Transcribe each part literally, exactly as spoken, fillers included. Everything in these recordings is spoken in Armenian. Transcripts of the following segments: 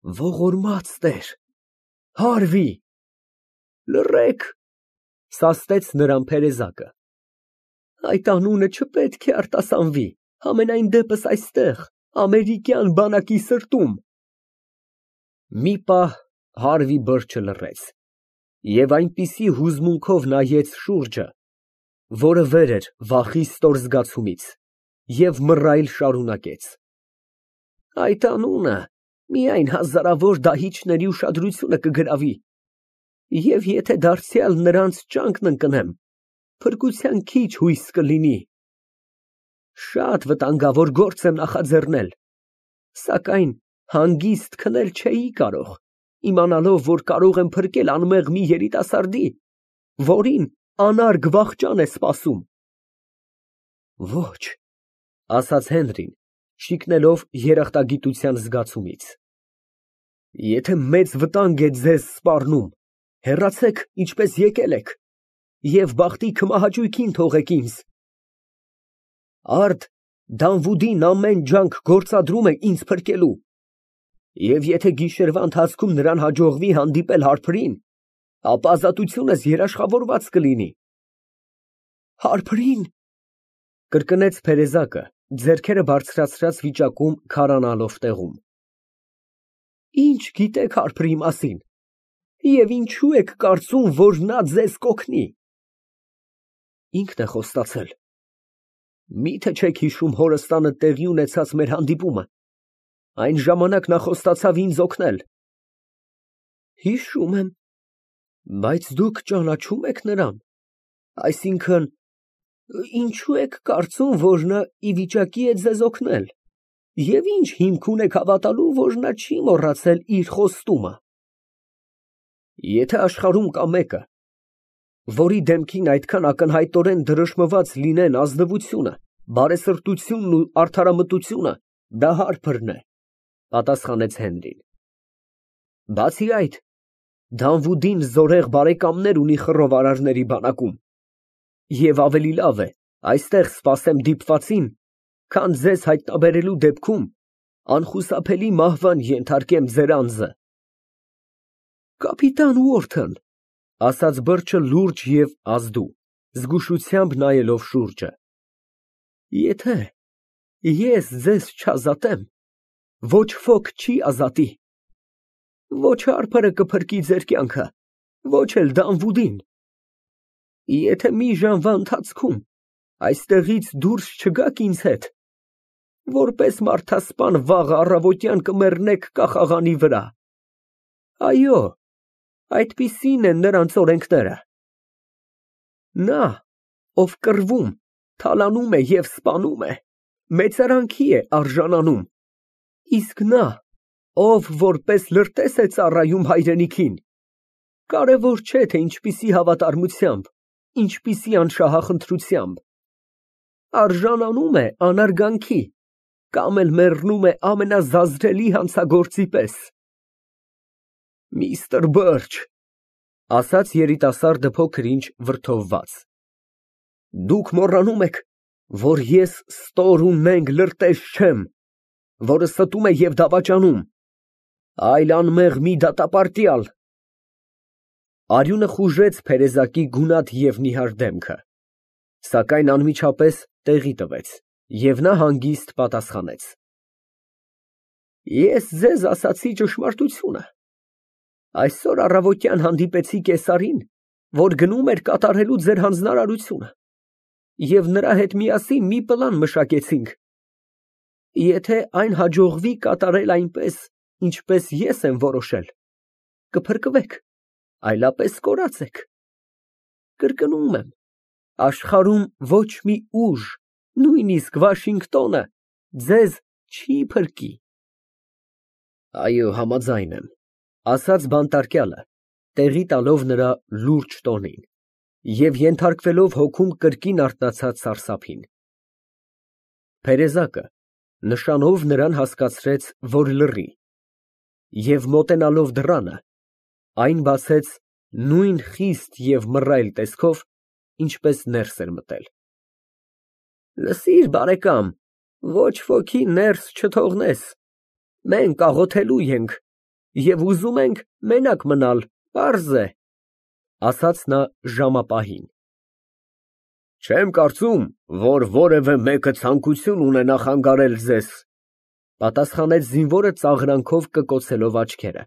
Ողորմած Տեր, հարվի։ Լռեք, սաստեց նրան Փերեզակը։ Այդ անունը չպետք է արտասանվի, համենայն դեպս այստեղ, ամերիկյան բանակի սրտում։ Մի պահ հարվի բրջը լռեց և այնպիսի հուզմունքով նայեց շուրջը, որը վեր էր վախի ստոր զգացումից, և մռայլ շարունակեց. Այդ անունը միայն հազարավոր դահիճների ուշադրությունը կգրավի, և եթե դարձյալ նրանց ճանկն ընկնեմ, փրկության քիչ հույս կլինի։ Շատ վտանգավոր գործ եմ նախաձեռնել, սակայն հանգիստ քնել չէի կարող, իմանալով, որ կարող եմ փրկել անմեղ մի երիտասարդի, որին անարգ վախճան է սպասում։ Ոչ, ասաց Հենրին, շիկնելով երախտագիտության զգացումից, եթե մեծ վտանգ է ձեզ սպառնում, հեռացեք, ինչպես եկել եք, և բախտի քմահաճույքին թողեք ինձ։ Արդ Դանվուդին ամեն ջանք գործադրում է ինձ փրկելու, և եթե գիշերվա ընթացքում նրան հաջողվի հանդիպել հարբրին, ապա ազատությունս երաշխավորված կլինի։ Հարբրի՞ն, կրկնեց Փերեզակը, ձեռքերը բարձրացրած վիճակում քարանալով տեղում։ Ինչ գիտեք հարբրի մասին, և ինչո՞ւ եք կարծում, որ նա ձեզ կօգնի։ Ինքն է խոստացել։ Մի՞թե չեք հիշում հորս տանը տեղի ունեցած մեր հանդիպումը, այն ժամանակ նա խոստացավ ինձ օգնել։ Հիշում եմ, բայց դուք ճանաչո՞ւմ եք նրան, այսինքն, ինչո՞ւ եք կարծում, որ նա ի վիճակի է ձեզ օգնել, և ի՞նչ հիմք ունեք հավատալու, որ նա չի մոռացել իր խոստումը։ Եթե աշխարհում կա մեկը, որի դեմքին այդքան ակնհայտորեն դրոշմված լինեն ազնվությունը, բարեսրտությունն ու արդարամտությունը, դա Հարփրն է, պատասխանեց Հենրին։ Բացի այդ, Դանվուդին զորեղ բարեկամներ ունի խռովարարների բանակում, և ավելի լավ է այստեղ սպասեմ դիպվածին, քան ձեզ հայտնաբերելու դեպքում անխուսափելի մահվան ենթարկեմ ձեր անձը։ Կապիտան Ուորթն, ասաց բրջը լուրջ և ազդու, զգուշությամբ նայելով շուրջը, եթե ես ձեզ չազատեմ, ոչ ոք չի ազատի, ոչ Հարփրը կփրկի ձեր կյանքը, ոչ էլ Դանվուդին։ Եթե մի ժամվա ընթացքում այստեղից դուրս չգաք ինձ հետ, որպես մարդասպան վաղը առավոտյան կմեռնեք կախաղանի վրա։ Այո, այդպիսին են նրանց օրենքները։ Նա, ով կռվում, թալանում է և սպանում է, մեծարանքի է արժանանում, իսկ նա, ով որպես լրտես է ծառայում հայրենիքին, կարևոր չէ, թե ինչպիսի հավատարմությամբ, ինչպիսի անշահախնդրությամբ, արժանանում է անարգանքի, կամ էլ մեռնում է ամենազազրելի հանցագործի պես։ Միստր Բըրջ, ասաց երիտասարդը փոքր-ինչ վրդովված, դուք մոռանում եք, որ ես ստոր ու նենգ լրտես չեմ, որը ստում է և դավաճանում, այլ անմեղ մի դատապարտյալ։ Արյունը խուժեց Փերեզակի գունատ և նիհար դեմքը, սակայն անմիջապես տեղի տվեց, և նա հանգիստ պատասխանեց. Ես ձեզ ասացի ճշմարտությունը։ Այսօր առավոտյան հանդիպեցի կեսարին, որ գնում էր կատարելու ձեր հանձնարարությունը, և նրա հետ միասին մի պլան մշակեցինք։ Եթե այն հաջողվի կատարել այնպես, ինչպես ես եմ որոշել, կփրկվեք, այլապես կորած եք։ Կրկնում եմ, աշխարհում ոչ մի ուժ, նույնիսկ Վաշինգտոնը, ձեզ չի փրկի։ Այո, համաձայն եմ, ասաց բանտարկյալը, տեղի տալով նրա լուրջ տոնին և ենթարկվելով հոգում կրկին արթնացած սարսափին։ Փերեզակը նշանով նրան հասկացրեց, որ լռի, և մոտենալով դռանը, այն բացեց նույն խիստ և մռայլ տեսքով, ինչպես ներս էր մտել։ Լսիր, բարեկամ, ոչ ոքի ներս չթողնես, մենք աղոթելու ենք, և ուզում ենք մենակ մնալ, պարզ է, ֊ ասաց նա ժամապահին։ Չեմ կարծում, որ որևէ մեկը ցանկություն ունենա խանգարել ձեզ, ֊ պատասխանեց զինվորը ծաղրանքով կկոցելով աչքերը։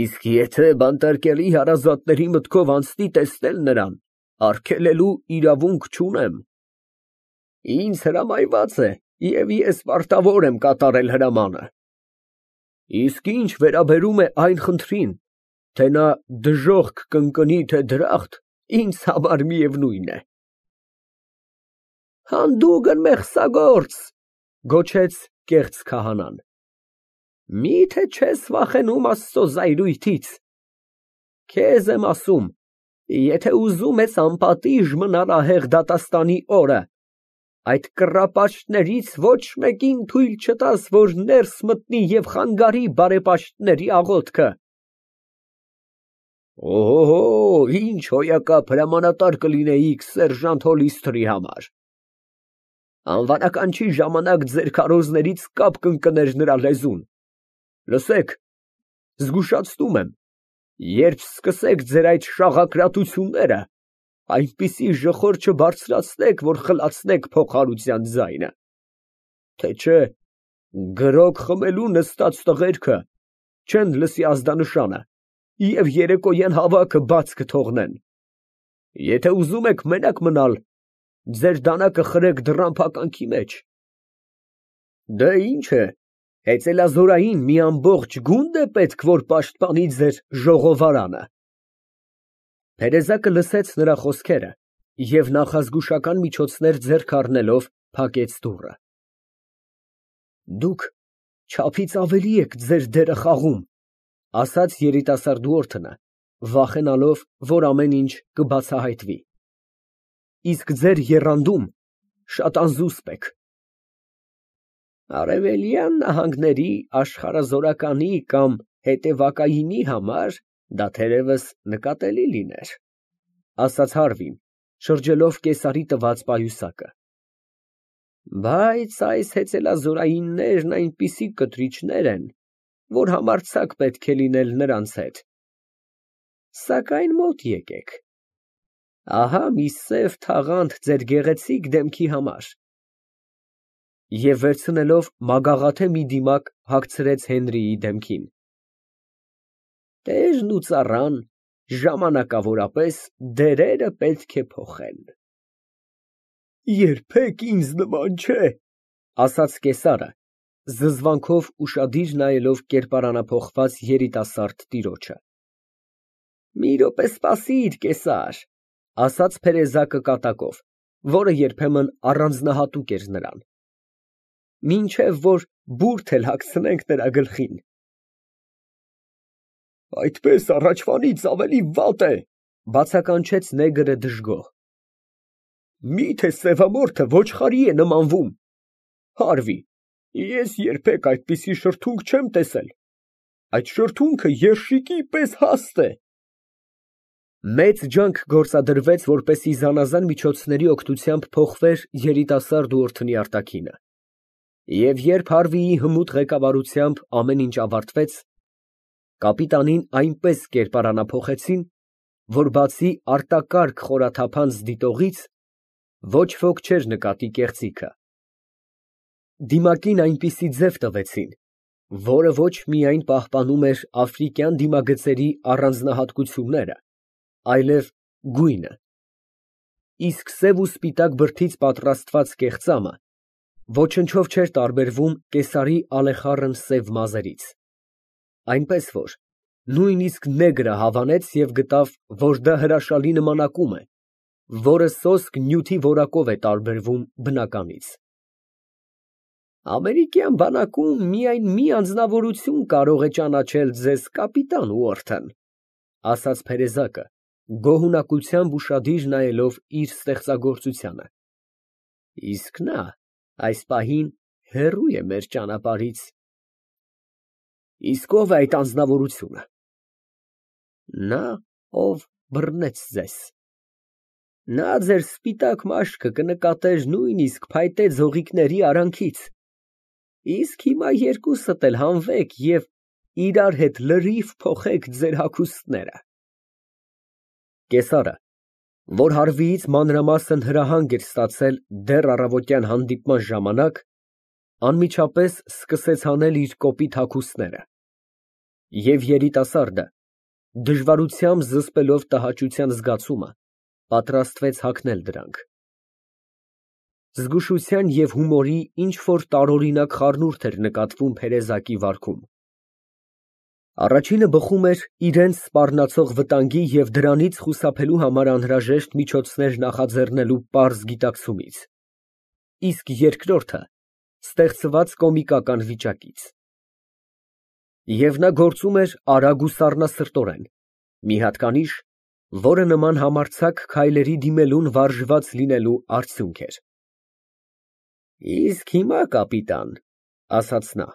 Իսկ եթե բանտարկելի հարազատների մտքով անցնի տեսնել նրան, արգելելու իրավունք չունեմ։ Ինձ հրամայված է, և ես պարտավոր եմ կատարել հրամանը։ Իսկ ինչ վերաբերում է այն խնդրին, թե նա դժոխք կընկնի, թե դրախտ, ինձ համար միևնույն է։ Հանդուգն մեղսագործ, ֊ գոչեց կեղծ քահանան, մի՞թե չես վախենում Աստծո զայրույթից։ Քեզ եմ ասում, եթե ուզում ես անպատիժ մնալ ահեղ դատաստանի օրը, այդ կռապաշտներից ոչ մեկին թույլ չտաս, որ ներս մտնի և խանգարի բարեպաշտների աղոթքը։ Օհո, ինչ հոյակապ հրամանատար կլինեիք սերժանտ Հոլիստերի համար։ Անվանական չի ժամանակ ձեր քարոզներից կապ կընկներ նրա լեզուն։ Լսեք, զգուշացնում եմ, երբ սկսեք ձեր այդ շաղակրատությունները, այնպիսի ժխոր չբարձրացնեք, որ խլացնեք փողահարության ձայնը, թե չէ գրոկ խմելու նստած տղերքը չեն լսի ազդանշանը և երեկոյան հավաքը բաց կթողնեն։ Եթե ուզում եք մենակ մնալ, ձեր դանակը խրեք դռան փականքի մեջ։ Դե ինչ է, հեծելազորային մի ամբողջ գունդ է պետք, որ պաշտպանի ձեր ժողովարանը։ Տերեզակը լսեց նրա խոսքերը և նախազգուշական միջոցներ ձեռք առնելով փակեց դուռը։ Դուք չափից ավելի եք ձեր դերը խաղում, ֊ ասաց երիտասարդ, վախենալով, որ ամեն ինչ կբացահայտվի։ Իսկ ձեր եռանդում շատ անզուսպ եք։ Արևելյան նահանգների աշխարհազորականի կամ հետևակայինի համար դա թերևս նկատելի լիներ, ֊ ասաց Հարվին, շրջելով կեսարի տված պայուսակը։ Բայց այս հեծելազորայիններն այնպիսի կտրիչներ են, որ համարձակ պետք է լինել նրանց հետ։ Սակայն մոտ եկեք, ահա մի սև թաղանթ ձեր գեղեցիկ դեմքի համար։ Եվ վերցնելով մագաղաթե մի դիմակ հագցրեց Հենրիի դեմքին։ Տերն ու ծառան ժամանակավորապես դերերը պետք է փոխեն։ Երբեք ինձ նման չէ, ֊ ասաց կեսարը, զզվանքով ուշադիր նայելով կերպարանափոխված երիտասարդ տիրոջը։ Մի րոպե սպասիր, կեսար, ֊ ասաց փերեզակը կատակով, որը երբեմն առանձնահատուկ էր նրան, մինչև որ բուրդ էլ հագցնենք նրա գլխին։ Այդպես առաջվանից ավելի վատ է, ֊ բացականչեց նեգրը դժգոհ։ Մի՞թե սևամորթը ոչխարի է նմանվում։ Հարվի, ես երբեք այդպիսի շրթունք չեմ տեսել։ Այդ շրթունքը երշիկի պես հաստ է։ Մեծ ջանք գործադրվեց, որպեսզի զանազան միջոցների օգնությամբ փոխվեր երիտասարդ ուորթնի արտաքինը, և երբ Հարվիի հմուտ ղեկավարությամբ ամեն ինչ ավարտվեց, կապիտանին այնպես կերպարանափոխեցին, որ բացի արտակարգ խորաթափանց դիտողից ոչ ոք չէր նկատի կեղծիքը։ Դիմակին այնպիսի ձև տվեցին, որը ոչ միայն պահպանում էր աֆրիկյան դիմագծերի առանձնահատկությունները, այլև գույնը, իսկ սև ու սպիտակ բրդից պատրաստված կեղծամը ոչնչով չէր տարբերվում կեսարի ալեխառն սև մազերից, այնպես որ նույնիսկ նեգրը հավանեց և գտավ, որ դա հրաշալի նմանակում է, որը սոսկ նյութի որակով է տարբերվում բնականից։ Ամերիկյան բանակում միայն մի անձնավորություն կարող է ճանաչել ձեզ, կապիտան Ուորթն, ֊ ասաց փերեզակը, գոհունակությամբ ուշադիր նայելով իր ստեղծագործությանը, իսկ նա այս պահին հեռու է մեր ճանապարհից։ Իսկ ո՞վ է այդ անձնավորությունը։ Նա, ով բռնեց ձեզ։ Նա ձեր սպիտակ մաշկը կնկատեր նույնիսկ փայտե ձողիկների արանքից, իսկ հիմա երկուսդ էլ հանվեք և իրար հետ լրիվ փոխեք ձեր հագուստները։ Կեսարը, որ հարվիից մանրամասն հրահանգ էր ստացել դեռ առավոտյան հանդիպման ժամանակ, անմիջապես սկսեց հանել իր կոպիտ հագուստները, և երիտասարդը, դժվարությամբ զսպելով տհաճության զգացումը, պատրաստվեց հագնել դրանք։ Զգուշության և հումորի ինչ֊որ տարօրինակ խառնուրդ էր նկատվում Փերեզակի վարքում։ Առաջինը բխում էր իրենց սպառնացող վտանգի և դրանից խուսափելու համար անհրաժեշտ միջոցներ նախաձեռնելու պարզ գիտակցումից, իսկ երկրորդը ստեղծված կոմիկական վիճակից։ Եվ նա գործում էր արագ ու սառնասրտորեն, մի հատկանիշ, որը նման համարձակ քայլերի դիմելուն վարժված լինելու արդյունք էր։ Իսկ հիմա, կապիտան, ասաց նա,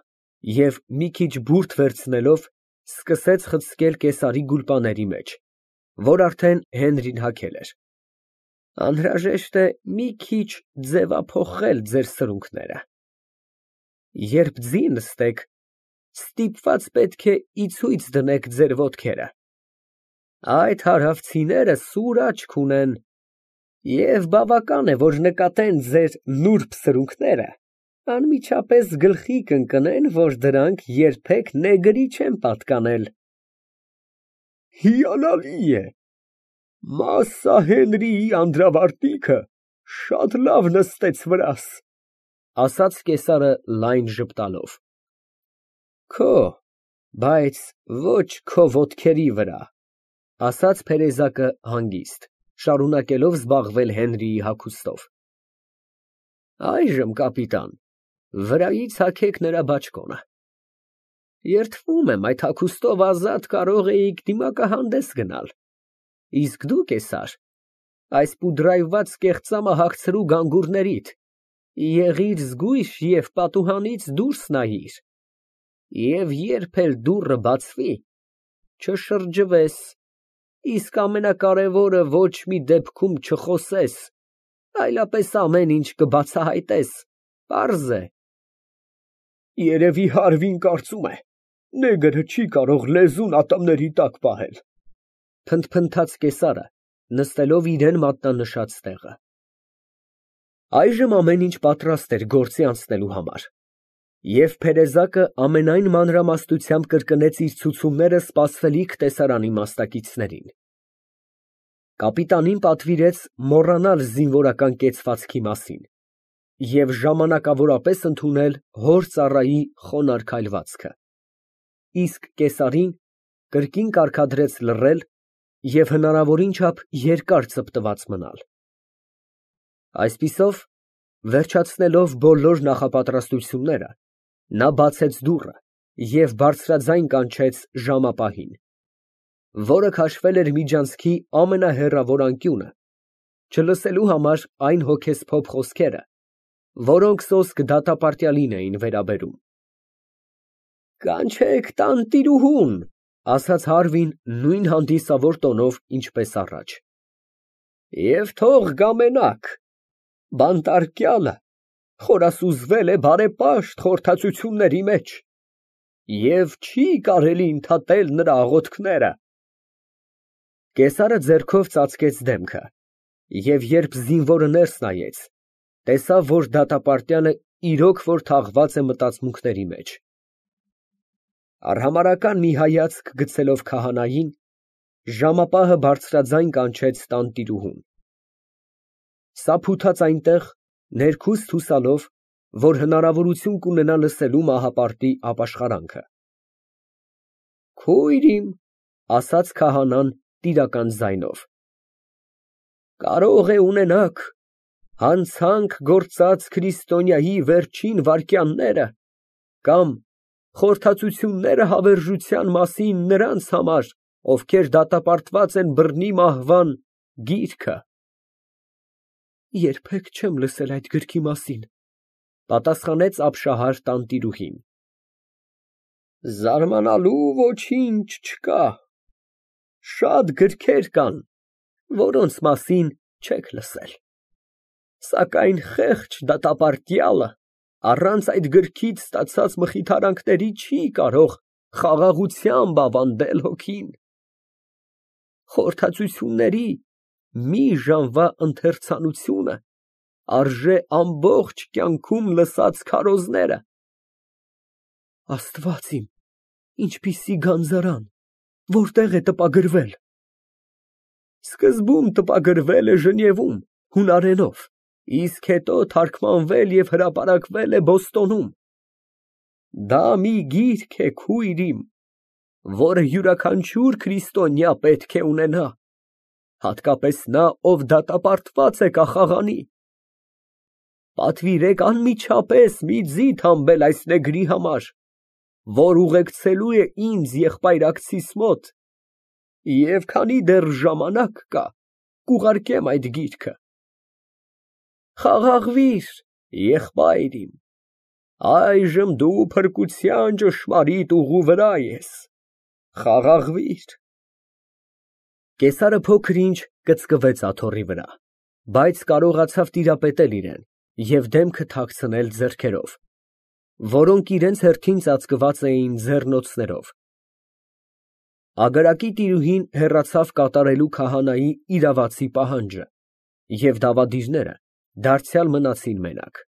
և մի քիչ բուրդ վերցնելով, սկսեց խցկել կեսարի գուլպաների մեջ, որ արդեն Հենրին հագել էր, անհրաժեշտ է մի քիչ ձևափոխել ձեր սրունքները, երբ ձին նստեք, ստիպված պետք է ի ցույց դնեք ձեր ոտքերը, այդ հարավցիները սուր աչք ունեն, և բավական է, որ նկատեն ձեր նուրբ սրունքները, անմիջապես գլխի կընկնեն, որ դրանք երբեք նեգրի չեն պատկանել։ Հիանալի է, Մասսա Հենրիի անդրավարտիքը շատ լավ նստեց վրաս, ասաց կեսարը լայն ժպտալով։ Քո, բայց ոչ քո ոտքերի վրա, ասաց Փերեզակը հանգիստ, շարունակելով զբաղվել Հենրիի հագուստով։ Այժմ, կապիտան, վրայից հագեք նրա բաճկոնը։ Երդվում եմ, այդ հագուստով ազատ կարող էիք դիմակահանդես գնալ, իսկ դու, կեսար, այս պուդրայրված կեղծամը հագցրու գանգուրներիդ, եղիր զգույշ և պատուհանից դուրս նայիր, և երբ էլ դուռը բացվի, չշրջվես, իսկ ամենակարևորը, ոչ մի դեպքում չխոսես, այլապես ամեն ինչ կբացահայտես, պարզ է։ Երևի Հարվին կարծում է, նեգրը չի կարող լեզուն ատամների տակ պահել, փնթփնթաց կեսարը, նստելով իրան մատնանշած տեղը։ Այժմ ամեն ինչ պատրաստ էր գործի անցնելու համար, և Փերեզակը ամենայն մանրամասնությամբ կրկնեց իր ցուցումները սպասվելիք տեսարանի մասնակիցներին։ Կապիտանին պատվիրեց մոռանալ զինվորական կեցվածքի մասին և ժամանակավորապես ընդունել հոր ծառայի խոնարհ քայլվածքը, իսկ կեսարին կրկին կարգադրեց լռել և հնարավորին չափ երկար ծպտված մնալ։ Այսպիսով, վերջացնելով բոլոր նախապատրաստությունները, նա բացեց դուռը և բարձրաձայն կանչեց ժամապահին, որը քաշվել էր միջանցքի ամենահեռավոր անկյունը, չլսելու համար այն հոգեսփոփ խոսքերը, որոնք սոսկ դատապարտյալին էին վերաբերում։ Կանչեք տանտիրուհուն, ասաց Հարվին նույն հանդիսավոր տոնով, ինչպես առաջ, և թող գա մենակ, բանտարկյալը խորասուզվել է բարեպաշտ խորհրդածությունների մեջ, և չի կարելի ընդհատել նրա աղոթքները։ Կեսարը ձեռքով ծածկեց դեմքը, և երբ զինվորը ներս նայեց, տեսավ, որ դատապարտյալը իրոք որ թաղված է մտածմունքների մեջ։ Արհամարհական մի հայացք գցելով քահանային, ժամապահը բարձրաձայն կանչեց տանտիրուհուն։ Սափութաց այնտեղ, ներքուստ հուսալով, որ հնարավորություն կունենա լսելու մահապարտի ապաշխարանքը։ Քույր իմ, ասաց քահանան տիրական ձայնով, կարող է ունենաք հանցանք գործած քրիստոնյայի վերջին վայրկյանները կամ խորհրդածությունները հավերժության մասին նրանց համար, ովքեր դատապարտված են բռնի մահվան գիրքը։ Երբեք չեմ լսել այդ գրքի մասին, պատասխանեց ապշահար տանտիրուհին։ Զարմանալու ոչինչ չկա, շատ գրքեր կան, որոնց մասին չեք լսել, սակայն խեղճ դատապարտյալը առանց այդ գրքից ստացած մխիթարանքների չի կարող խաղաղությամբ ավանդել հոգին։ Խորհրդածությունների մի ժամվա ընթերցանությունը արժե ամբողջ կյանքում լսած քարոզները։ Աստված իմ, ինչպիսի գանձարան, որտե՞ղ է տպագրվել։ Սկզբում տպագրվել է Ժնևում, հունարենով, իսկ հետո թարգմանվել և հրապարակվել է Բոստոնում։ Դա մի գիրք է, քույր իմ, որը յուրաքանչյուր քրիստոնյա պետք է ունենա, հատկապես նա, ով դատապարտված է կախաղանի։ Պատվիրեք անմիջապես մի ձիթ հանբել այս նեգրի համար, որ ուղեկցելու է ինձ եղբայրակցիս մոտ, և քանի դեռ ժամանակ կա, կուղարկեմ այդ գիրքը։ Խաղաղվիր, եղբայր իմ, այժմ դու փրկության ճշմարիտ ուղու վրա ես, խաղաղվիր։ Կեսարը փոքր ինչ կծկվեց աթոռի վրա, բայց կարողացավ տիրապետել իրան և դեմքը թաքցնել ձեռքերով, որոնք իրենց հերթին ծածկված էին ձեռնոցներով։ Ագարակի տիրուհին հեռացավ կատարելու քահանայի իրավացի պահանջը, և դավադիրները դարձյալ մնացին մենակ։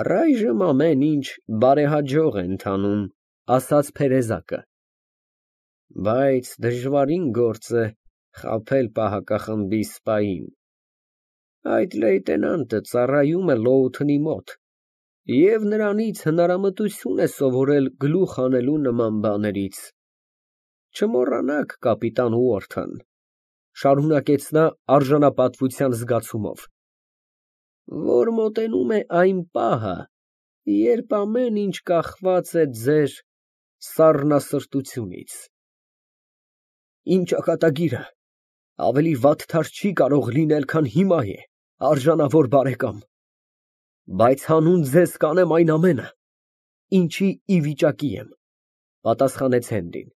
Առայժմ ամեն ինչ բարեհաջող է ընթանում, ասաց Փերեզակը, բայց դժվարին գործ է խաբել պահակախմբի սպային։ Այդ լեյտենանտը ծառայում է Լոութընի մոտ և նրանից հնարամտություն է սովորել գլուխ հանելու նման բաներից։ Չմոռանաք, կապիտան Ուորթն, շարունակեց նա արժանապատվության զգացումով, որ մոտենում է այն պահը, երբ ամեն ինչ կախված է ձեր սառնասրտությունից։ Իմ ճակատագիրը ավելի վատթար չի կարող լինել, քան հիմա է, արժանավոր բարեկամ, բայց հանուն ձեզ կանեմ այն ամենը, ինչի ի վիճակի եմ, պատասխանեց Հենրին։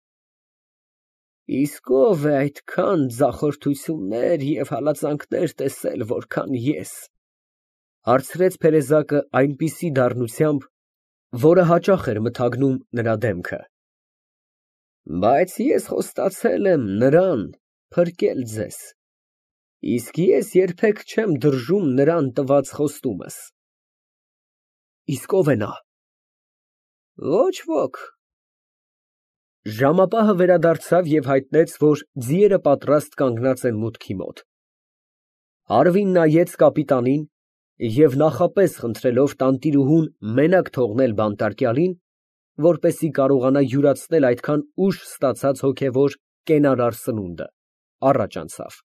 Իսկ ո՞վ է այդքան ձախորդություններ և հալածանքներ տեսել, որքան ես, հարցրեց Փերեզակը այնպիսի դառնությամբ, որը հաճախ էր մթագնում նրա դեմքը։ Բայց ես խոստացել եմ նրան փրկել ձեզ, իսկ ես երբեք չեմ դրժում նրան տված խոստումս։ Իսկ ո՞վ է նա։ Ոչ ոք։ Ժամապահը վերադարձավ և հայտնեց, որ ձիերը պատրաստ կանգնած են մուտքի մոտ։ Հարվին նայեց կապիտանին և նախապես խնդրելով տանտիրուհուն մենակ թողնել բանտարկյալին, որպեսզի կարողանա յուրացնել այդքան ուշ ստացած հոգևոր կենարար սնունդը, առաջ անցավ։